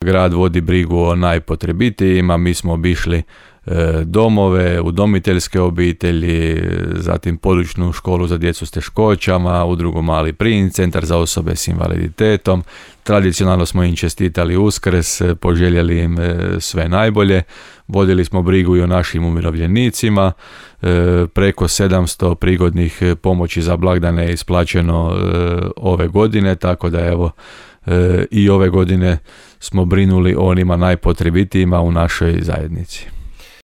Grad vodi brigu o najpotrebitijima, mi smo obišli domove, udomiteljske obitelji, zatim područnu školu za djecu s teškoćama, udrugu Mali princ, centar za osobe s invaliditetom. Tradicionalno smo im čestitali Uskrs, poželjeli im sve najbolje. Vodili smo brigu i o našim umirovljenicima. Preko 700 prigodnih pomoći za blagdane je isplaćeno ove godine, tako da evo i ove godine smo brinuli o onima najpotrebitijima u našoj zajednici.